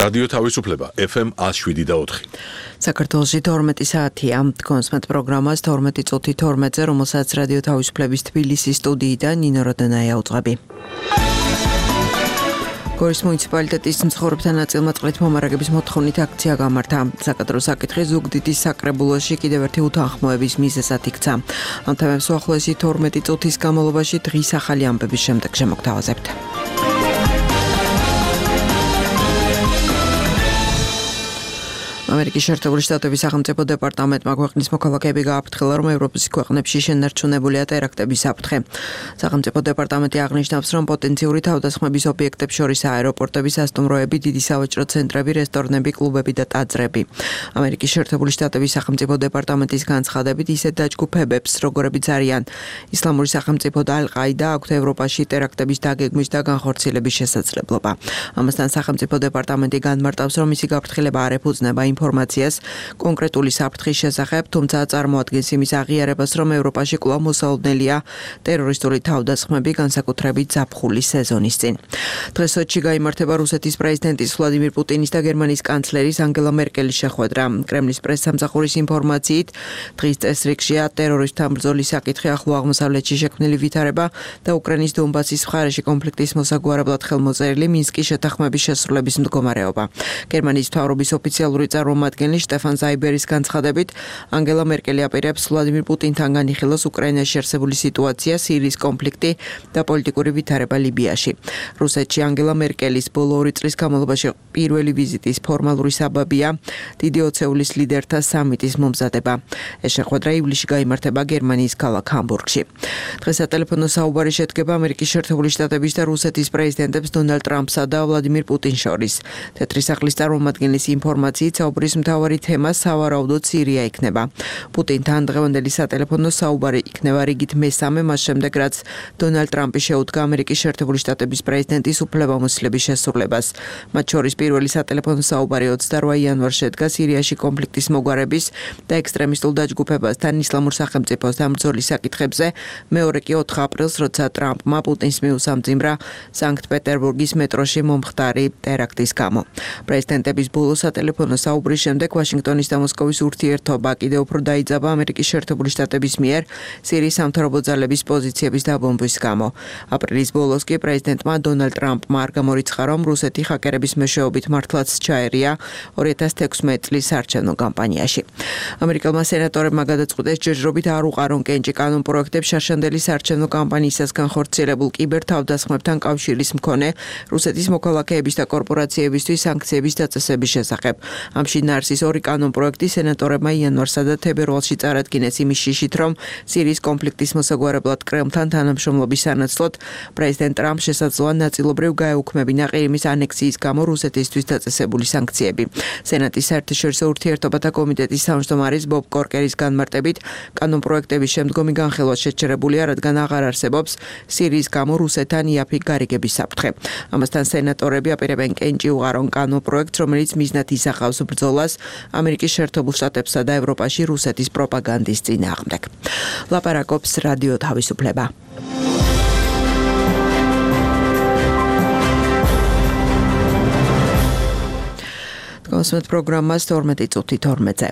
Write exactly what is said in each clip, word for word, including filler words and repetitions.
რადიო თავისუფლება ეფ ემ one oh seven და four. საქართველოში თორმეტი საათია. კონსმეთ პროგრამას თორმეტი წუთი თორმეტზე, რომელსაც რადიო თავისუფლების თბილისის სტუდიიდან ნინო როდანაია უძღვები. გორის მუნიციპალიტეტის მცხოვრებთა ნაწილმა წყლით მომარაგების მოთხოვნით აქცია გამართა. საკადრო საკითხი ზუგდიდის საკრებულოში კიდევ ერთი უთანხმოების მიზეზად იქცა. ამ თემებს უახლოესი თორმეტი წუთის განმავლობაში დღის ახალი ამბების შემდეგ შემოგთავაზებთ. ამერიკის შეერთებული შტატების სახელმწიფო დეპარტამენტმა ქვეყნის მოქალაქეები გააფრთხილა, რომ ევროპის ქვეყნებში შენარჩუნებულია ტერაქტების საფრთხე. სახელმწიფო დეპარტამენტი აღნიშნავს, რომ პოტენციური თავდასხმების ობიექტებს შორის აეროპორტები, სასტუმროები, დიდი სავაჭრო ცენტრები, რესტორნები, კლუბები და ტაძრები. ამერიკის შეერთებული შტატების სახელმწიფო დეპარტამენტის განცხადებით, ისეთ დაჯგუფებებს, როგორებიც არიან ისლამური სახელმწიფო და ალ-ყაიდა, აქვთ ევროპაში ტერაქტების დაგეგმვის და განხორციელების შესაძლებლობა. ამასთან სახელმწიფო დეპარტამენტი განმარტავს, რომ მისი გაფრთხილება არ ეფუძნება ინფორმაციას კონკრეტული საფრთხის შესახებ, თუმცა წარმოადგენს იმის აღიარებას, რომ ევროპაში კვლავ მოსალოდნელია ტერორისტული თავდასხმები, განსაკუთრებით ზაფხულის სეზონის წინ. დღეს სოჩში გაიმართება რუსეთის პრეზიდენტის ვლადიმირ პუტინის და გერმანიის კანცლერის ანგელა მერკელის შეხვედრა. კრემლის პრესსამსახურის ინფორმაციით, დღის წესრიგშია ტერორისტთან ბრძოლის საკითხი, ახლო აღმოსავლეთში შექმნილი ვითარება და უკრაინის დონბასის მხარეში კონფლიქტის მოსაგვარებლად ხელმოწერილი მინსკის შეთანხმების შესრულების მდგომარეობა. გერმანიის მთავრობის ოფიციალური წარმომადგენელი შტეფან ზაიბერის განცხადებით, ანგელა მერკელი აპირებს ვლადიმირ პუტინთან განიხილოს უკრაინაში არსებული სიტუაცია, სირიის კონფლიქტი და პოლიტიკური ვითარება ლიბიაში. რუსეთში ანგელა მერკელის ბოლო ორი წლის განმავლობაში პირველი ვიზიტის ფორმალური საბაბია დიდი ოცეულის ლიდერთა სამიტის მომზადება. ეს შეხვედრა ივლისში გაიმართება გერმანიის ქალაქ ჰამბურგში. დღეს სატელეფონო საუბარი შედგება ამერიკის შეერთებული შტატების და რუსეთის პრეზიდენტებს დონალდ ტრამპსა და ვლადიმირ პუტინს შორის. თეთრი სახლის წარმომადგენლის ინფორმაციით, საუბრის მთავარი თემა სავარაუდოდ სირია იქნება. პუტინთან დღევანდელი სატელეფონო საუბარი იქნება რიგით მესამე მას შემდეგ, რაც დონალდ ტრამპი შეუდგა ამერიკის შეერთებული შტატების პრეზიდენტის უფლებამოსილების შესრულებას. მათ შორის პირველი სატელეფონო საუბარი ოცდაოთხ იანვარს შედგა სირიაში კონფლიქტის მოგვარების და ექსტრემისტულ დაჯგუფებასთან ისლამურ სახელმწიფოსთან ბრძოლის საკითხებზე, მეორე კი ოთხ აპრილს, როცა ტრამპმა პუტინს მიუსამძიმრა სანქტ-პეტერბურგის მეტროში მომხდარი ტერაქტის გამო. პრეზიდენტების ბოლო სატელეფონო საუბრის შემდეგ ვაშინგტონის და მოსკოვის ურთიერთობა კიდევ უფრო დაიძაბა ამერიკის შეერთებული შტატების მიერ სირიის სამთავრობო ძალების პოზიციების დაბომბვის გამო. აპრილის ბოლოს კი პრეზიდენტმა დონალდ ტრამპმა არ გამორიცხა, რომ რუსეთი ჰაკერების მეშვეობით მართლაც ჩაერია ორი ათას თექვსმეტ წლის საარჩევნო კამპანიაში. ამერიკელმა სენატორებმა გადაწყვიტეს ჯერჯერობით არ უყარონ კენჭი კანონპროექტებს შარშანდელი საარჩევნო კამპანიისას განხორციელებულ კიბერთავდასხმებთან კავშირის მქონე რუსეთის მოქალაქეების და კორპორაციებისთვის სანქციების დაწესების შესახებ. ამ შინაარსის ორი კანონპროექტი სენატორებმა იანვარსა და თებერვალში წარადგინეს იმის შიშით, რომ სირიის კონფლიქტის მოსაგვარებლად კრემლთან თანამშრომლობის სანაცვლოდ პრეზიდენტ ტრამპს შესაძლოა ნაწილობრივ გაეუქმებინა ყირიმის ანექსიის გამო რუსეთისთვის დაწესებული სანქციები. სენატის საერთაშორისო ურთიერთობათა კომიტეტის თავმჯდომარის ბობ კორკერის განმარტებით, კანონპროექტების შემდგომი განხილვა შეჩერებულია, რადგან აღარ არსებობს სირიის გამო რუსეთთან იაფი გარიგების საფრთხე. ამასთან სენატორები აპირებენ კენჭი უყარონ კანონპროექტს, რომელიც მიზნად ისახავს ბრძოლას ამერიკის შეერთებულ შტატებსა და ევროპაში რუსეთის პროპაგანდის წინააღმდეგ. ლაპარაკობს რადიო თავისუფლება. კონსმეთ პროგრამას თორმეტი წუთი თორმეტზე.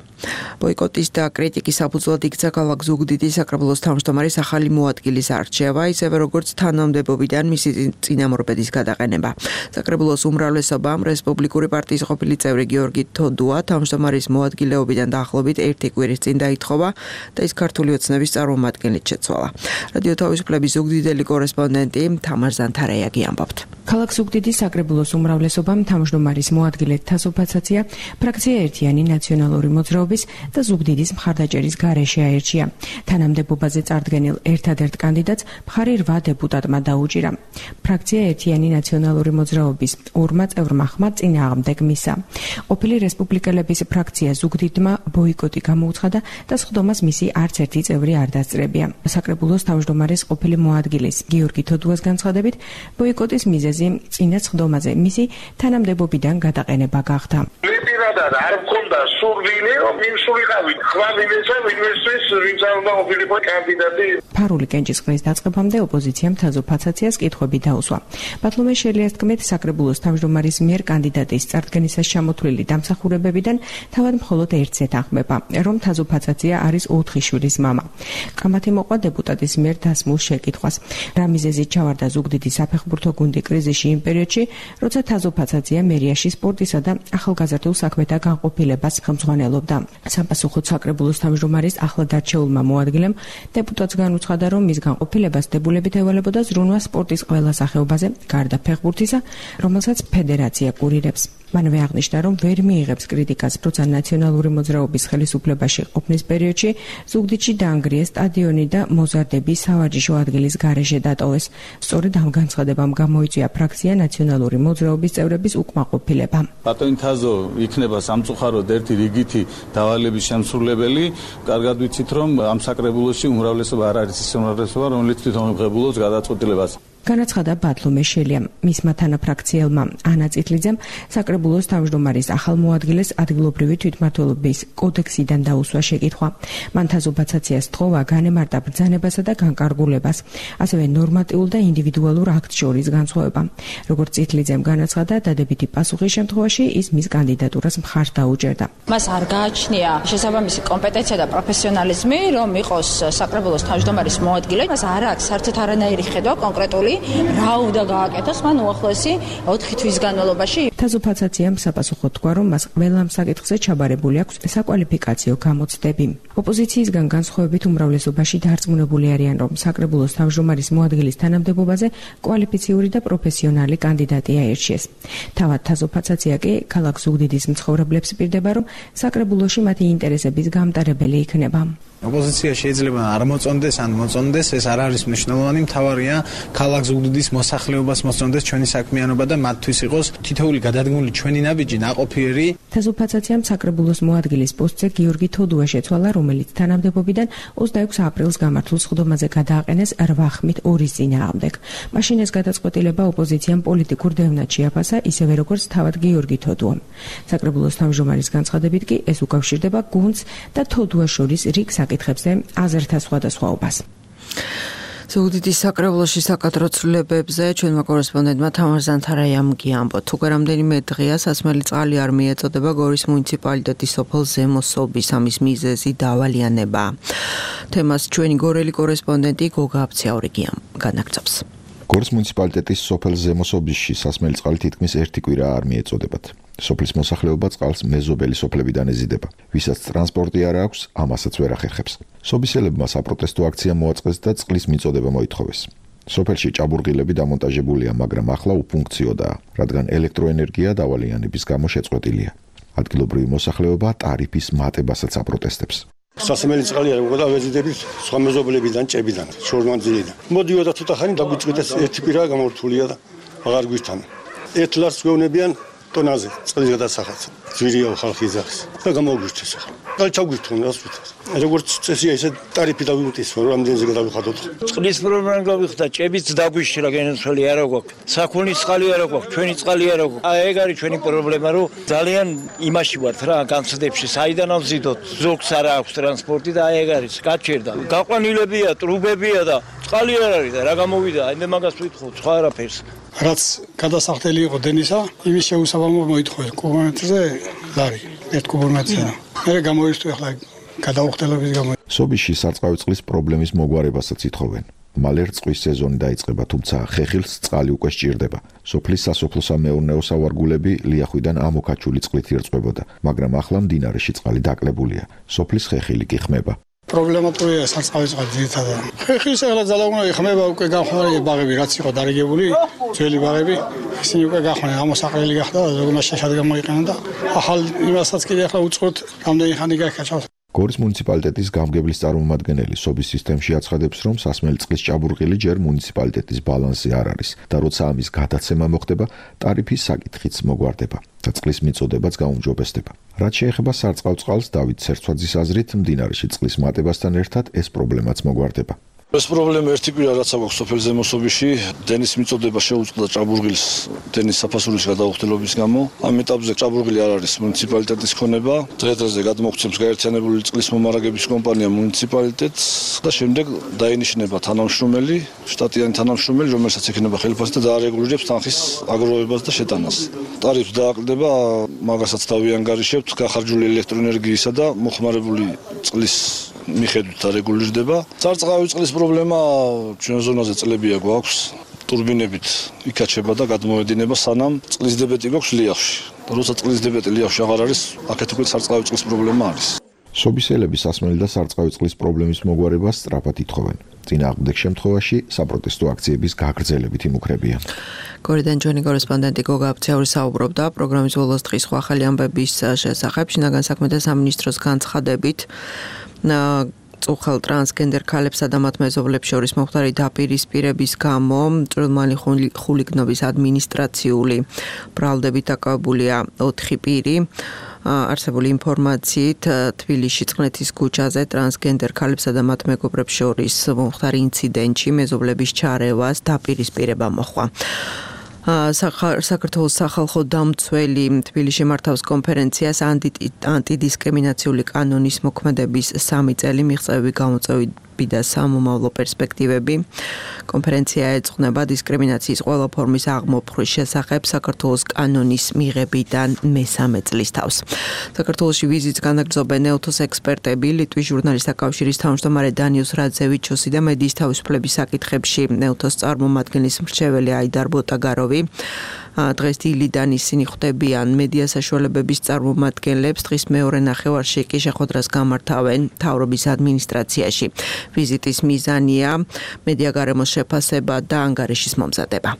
ბოიკოტის და კრიტიკის საფუძვლად იქცა ქალაქ ზუგდიდის საკრებულოს თავმჯდომარის ახალი მოადგილის არჩევა, ისევე როგორც თანამდებობიდან მისი წინამორბედის გადაყენება. საკრებულოს უმრავლესობამ რესპუბლიკური პარტიის ყოფილი წევრი გიორგი თოდუა თავმჯდომარის მოადგილეობიდან დაახლოებით ერთი კვირის წინ დაითხოვა და ის ქართული ოცნების წარმომადგენლით შეცვალა. რადიო თავისუფლების ზუგდიდელი კორესპონდენტი თამარ ზანთარაიაგი ამბობთ. ქალაქ ზუგდიდის საკრებულოს უმრავლესობამ თავმჯდომარის მოადგილედ თასოფაცაცია ფრაქცია ერთიანი ნაციონალური მოძრაობის და ზუგდიდის მხარდაჭერის გარეშე აერჩია. თანამდებობაზე წარდგენილ ერთადერთ კანდიდატს მხარი რვა დეპუტატმა დაუჭირა. ფრაქცია ერთიანი ნაციონალური მოძრაობის ორმა წევრმა ხმა წინააღმდეგ მისა. ყოფილი რესპუბლიკელების ფრაქცია ზუგდიდმა ბოიკოტი გამოუცხადა და სხდომას მისი არც ერთი წევრი არ დასწრებია. საკრებულოს თავმჯდომარის ყოფილი მოადგილის გიორგი თოდუას განცხადებით, ბოიკოტის მიზეზი მიზეზი წინა ხდომაზე მისი თანამდებობიდან გადაყენება გახდა. პირადად არ მქონდა სურვილი, რომ იმსულიყავით ხვალინეცა ინვესტის ვინცალდა ოფილიპო კანდიდატი. ფარული კენჭისყრის დაწყებამდე ოპოზიციამ თაზოფაცაციას კითხვები დაუსვა. ბათლომე შელიას თქმით, საკრებულოს თავმჯდომარის მიერ კანდიდატის წარდგენისას ჩამოთვლილი დამსახურებებიდან თავად მხოლოდ ერთს ეთანხმება, რომ თაზოფაცაცია არის ოთხი შვილის მამა. კამათი მოყვა დეპუტატის მიერ დასმულ შეკითხვას. რა მიზეზით ჩავარდა ზუგდიდი საფეხბურთო გუნდი კრიზისში იმ პერიოდში, როცა თაზოფაცაცია მერიაში სპორტისა და ახალგაზრდულ საქმეთა განყოფილებას ხელმძღვანელობდა. საპასუხოდ საკრებულოს თავმჯდომარის ახლად არჩეულმა მოადგილემ დეპუტატს განუცხადა, რომ მის განყოფილებას დებულებით ევალებოდა ზრუნვა სპორტის ყველა სახეობაზე, გარდა ფეხბურთისა, რომელსაც ფედერაცია კურირებს. მანვე აღნიშნა, რომ ვერ მიიღებს კრიტიკას, როცა ნაციონალური მოძრაობის ხელისუფლებაში ყოფნის პერიოდში ზუგდიდში დაანგრიეს სტადიონი და მოზარდები სავარჯიშო ადგილის გარეშე დატოვეს. სწორედ ამ განცხადებამ გამოიწვია ფრაქცია ნაციონალური მოძრაობის წევრების უკმაყოფილება. ბატონი თაზო იქნება სამწუხაროდ ერთი რიგითი დავალების შემსრულებელი. კარგად ვიცით, რომ ამ საკრებულოში უმრავლესობა არ არის ის უმრავლესობა, რომელიც თვითონ ღებულობს გადაწყვეტილებას. განაცხადა ბათლომე შელიამ. მისმა თანაფრაქციელმა ანა წითლიძემ საკრებულოს თავმჯდომარის ახალ მოადგილეს ადგილობრივი თვითმმართველობის კოდექსიდან დაუსვა შეკითხვა. მან თაზოფაცაციას თხოვა განემარტა ბრძანებასა და განკარგულებას, ასევე ნორმატიულ და ინდივიდუალურ აქტს შორის განსხვავება. როგორც წითლიძემ განაცხადა, დადებითი პასუხის შემთხვევაში ის მის კანდიდატურას მხარს დაუჭერდა. მას არ გააჩნია შესაბამისი კომპეტენცია და პროფესიონალიზმი, რომ იყოს საკრებულოს თავმჯდომარის მოადგილე. მას არ აქვს საერთოდ არანაირი ხედვა კონკრეტული რა უნდა გააკეთოს მან უახლოესი ოთხი თვის განმავლობაში. თაზოფაცაციამ საპასუხოდ თქვა, რომ მას ყველა საკითხზე ჩაბარებული აქვს საკვალიფიკაციო გამოცდები. ოპოზიციისგან განსხვავებით უმრავლესობაში დარწმუნებული არიან, რომ საკრებულოს თავმჯდომარის მოადგილის თანამდებობაზე კვალიფიციური და პროფესიონალი კანდიდატი აირჩიეს. თავად თაზოფაცაცია კი ქალაქ ზუგდიდის მცხოვრებლებს პირდება, რომ საკრებულოში მათი ინტერესების გამტარებელი იქნება. ოპოზიცია შეიძლება არ მოწონდეს, ან მოწონდეს, ეს არ არის მნიშვნელოვანი, მთავარია ქალაქ ზუგდიდის მოსახლეობას მოწონდეს ჩვენი საქმიანობა და მათთვის იყოს თითოეული გადადგმული ჩვენი ნაბიჯი ნაყოფიერი. თაზოფაცაციამ საკრებულოს მოადგილის პოსტზე გიორგი თოდუა შეცვალა, რომელიც თანამდებობიდან ოცდაექვსი აპრილს გამართულ სხდომაზე გადააყენეს რვა ხმით ორის წინააღმდეგ. მაშინ ეს გადაწყვეტილება ოპოზიციამ პოლიტიკურ დევნად შეაფასა, ისევე როგორც თავად გიორგი თოდუამ. საკრებულოს თავმჯდომარის განცხადებით კი ეს უკავშირდება გუნდს და თოდუას შორის რიგ საკითხებზე აზრთა სხვადასხვაობას. ზუგდიდის საკრებულოში საკადრო ცვლილებებზე ჩვენმა კორესპონდენტმა თამარ ზანთარაიამ გიამბო. თუ რამდენიმე დღეა სასმელი წყალი არ მიეწოდება გორის მუნიციპალიტეტის სოფელ ზემოსობის, ამის მიზეზი დავალიანება. თემას ჩვენი გორელი კორესპონდენტი გოგა აფციაური განაგრძობს. გორის მუნიციპალიტეტის სოფელ ზემოსობისში სასმელი წყალი თითქმის ერთი კვირა არ მიეწოდებათ. სოფლის მოსახლეობა წყალს მეზობელი სოფლებიდან ეზიდება. ვისაც ტრანსპორტი არ აქვს, ამასაც ვერ ახერხებს. სობისელებმა საპროტესტო აქცია მოაწყეს და წყლის მიწოდება მოითხოვეს. სოფელში ჭაბურღილები დამონტაჟებულია, მაგრამ ახლა უფუნქციოდაა, რადგან ელექტროენერგია დავალიანების გამო შეწყვეტილია. ადგილობრივი მოსახლეობა ტარიფის მატებასაც აპროტესტებს. სასმელი წყალი არ მოგდა ვეზიდებით სხვა მეზობლებიდან, ჭებიდან, შორმანძილიდან. მოდიოდა ცოტა ხანი დაგვიწყვეტეს ერთი კვირა გამორთულია და აღარ გვისთან. ერთ ლარს გვეუბნებიან ტონაზე წყლის გადასახადს. ძვირია ხალხი ძახის და გამოგვირჩეს ახლა. და ჩაგვირთუნ რას ვიტყვით. როგორც წესია ესე ტარიფი დავიმტის, რომ რამდენზე გადავიხადოთ. წყლის პრობლემა გავიხდა, ჭებიც დაგვიშრა გენაცვალი არ აქვს. საქონლის წყალი არ აქვს, ჩვენი წყალი არ აქვს. აი ეგ არის ჩვენი პრობლემა, რომ ძალიან იმაში ვართ რა, განცდებში, საიდან ავზიდოთ. ზოგს არ აქვს ტრანსპორტი და აი ეგ არის, გაჩერდა. გაყვანილებია, ტრუბებია და წყალი არ არის და რა გამოვიდა, აი მე მაგას ვიტყოდ, სხვა არაფერს. რაც გადასახდელი იყო დენისა, იმის შეუსაბამო მოითხოვეს კუბომეტრზე ლარი, ერთ კუბომეტრზე. მე გამოიწვია ახლა გადაუხდელობის გამო. სობისში სარწყავი წყლის პრობლემის მოგვარებასაც ითხოვენ. მალე რწყვის სეზონი დაიწყება, თუმცა ხეხილს წყალი უკვე სჭირდება. სოფლის სასოფლო-სამეურნეო სავარგულები ლიახვიდან ამოქაჩული წყლით ირწყვებოდა, მაგრამ ახლა მდინარეში წყალი დაკლებულია. სოფლის ხეხილი კი ხმება. პრობლემატურია სარწყავი წყალი ძირითადად. ხეხილს ახლა ძალაუნოი ხმება, უკვე განხმარი ბაღები რაც იყო დარიგებული, ძველი ბაღები, ისინი უკვე განხმარი ამოსაყრელი გახდა, ზოგადად შეშად გამოიყენა და ახალ იმასაც კიდე ახლა უწყოთ რამდენი ხანი გაიქაჩავს. გორის მუნიციპალიტეტის გამგებლის წარმომადგენელი სობის სისტემში აცხადებს, რომ სასმელი წყლის ჭაბურღილი ჯერ მუნიციპალიტეტის ბალანსზე არ არის და როცა ამის გადაცემა მოხდება, ტარიფის საკითხიც მოგვარდება და წყლის მიწოდებაც გაუმჯობესდება. რაც შეეხება სარწყავ წყალს, დავით სერცვაძის აზრით, მდინარეში წყლის მატებასთან ერთად ეს პრობლემაც მოგვარდება. ეს პრობლემა ერთი კვირა რაც აქვს სოფელ ზემოსობაში, დენის მიწოდება შეუწყდა ჭაბურღილის დენის საფასურის გადაუხდელობის გამო. ამ ეტაპზე ჭაბურღილი არ არის მუნიციპალიტეტის ქონება. დღე-დღეზე გადმოგვცემს გაერთიანებული წყლის მომარაგების კომპანია მუნიციპალიტეტს და შემდეგ დაინიშნება თანამშრომელი, შტატიანი თანამშრომელი, რომელსაც ექნება ხელფასი და დაარეგულირებს თანხის აგროვებას და შეტანას. ტარიფს დააკლდება, მაგასაც დავიანგარიშებთ, გახარჯული ელექტროენერგიისა და მოხმარებული წყლის მიხედვით არეგულირდება. სარწყავი წყლის პრობლემა ჩვენ ზონაზე წლებია გვაქვს. ტურბინებით იკაჩება და გადმოედინება სანამ წყლის დებეტი გვაქვს ლიახში. როცა წყლის დებეტი ლიახში აღარ არის, აქეთ უკვე სარწყავი წყლის პრობლემა არის. სობისელები სასმელი და სარწყავი წყლის პრობლემის მოგვარებას სწრაფად ითხოვენ. წინააღმდეგ შემთხვევაში საპროტესტო აქციების გაგრძელებით იმუქრებიან. გორიდან ჩვენი კორესპონდენტი გოგა აფციური საუბრობდა პროგრამის ბოლოს დღის სხვა ახალი ამბების შესახებ. შინაგან საქმეთა სამინისტროს განცხადებით წუხელ ტრანსგენდერ ქალებსა და მათ მეზობლებს შორის მომხდარი დაპირისპირების გამო წვრილმანი ხულიგნობის ადმინისტრაციული ბრალდებით დაკავებულია ოთხი პირი. არსებული ინფორმაციით თბილისში წყნეთის ქუჩაზე ტრანსგენდერ ქალებსა და მათ მეგობრებს შორის მომხდარი ინციდენტში მეზობლების ჩარევას დაპირისპირება მოჰყვა. საქართველოს სახალხო დამცველი თბილისში მართავს კონფერენციას ანტიდისკრიმინაციული კანონის მოქმედების სამი წელი მიღწევები გამოწვევები და სამომავლო პერსპექტივები. კონფერენცია ეძღვნება დისკრიმინაციის ყველა ფორმის აღმოფხვის შესახებ საქართველოს კანონის მიღებიდან მესამე წლის თავს. საქართველოში ვიზიტს განაგრძობენ ნეუთოს ექსპერტები, ლიტვის ჟურნალისტთა კავშირის თავმჯდომარე დანიუს რაძევიჩოსი და მედიის თავისუფლების საკითხებში ნეუთოს წარმომადგენლის მრჩეველი აიდარ ბოტაგაროვი. დღეს დილიდან ისინი ხვდებიან მედია საშუალებების წარმომადგენლებს. დღის მეორე ნახევარში კი შეხვედრას გამართავენ მთავრობის ადმინისტრაციაში. ვიზიტის მიზანია მედია გარემოს შეფასება და ანგარიშის მომზადება.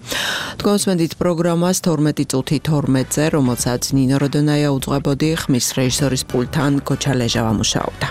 თქვენსმენდით პროგრამას თორმეტი წუთი თორმეტზე, რომელსაც ნინო როდონაია უძღვებოდი, ხმის რეჟისორის პულტთან გოჩა ლეჟავა მუშაობდა.